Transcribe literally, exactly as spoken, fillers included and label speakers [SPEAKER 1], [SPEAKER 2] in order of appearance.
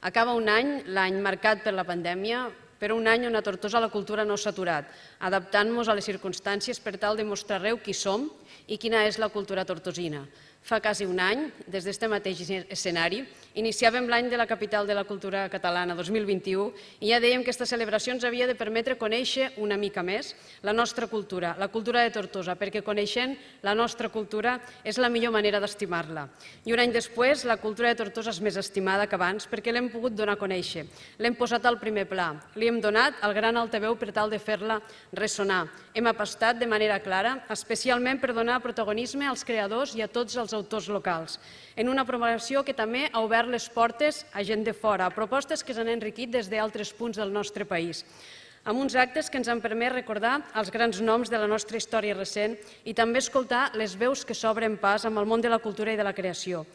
[SPEAKER 1] Acaba un any, l'any marcat per la pandèmia, però un any on a Tortosa la cultura no s'ha aturat, adaptant-nos a les circumstàncies per tal de mostrar arreu qui som i quina és la cultura tortosina. Fa quasi un any, des d'aquest mateix escenari, iniciàvem l'any de la capital de la cultura catalana dos mil vint-i-u i ja dèiem que aquesta celebració ens havia de permetre conèixer una mica més la nostra cultura, la cultura de Tortosa, perquè coneixent la nostra cultura és la millor manera d'estimar-la. I un any després, la cultura de Tortosa és més estimada que abans perquè l'hem pogut donar a conèixer, l'hem posat al primer pla, li hem donat el gran altaveu per tal de fer-la ressonar. Hem apostat de manera clara, especialment per donar protagonisme als creadors i a tots els autors locals, en una programació que també ha obert les portes a gent de fora, a propostes que s'han enriquit des d'altres punts del nostre país, amb uns actes que ens han permès recordar els grans noms de la nostra història recent i també escoltar les veus que s'obren pas amb el món de la cultura i de la creació.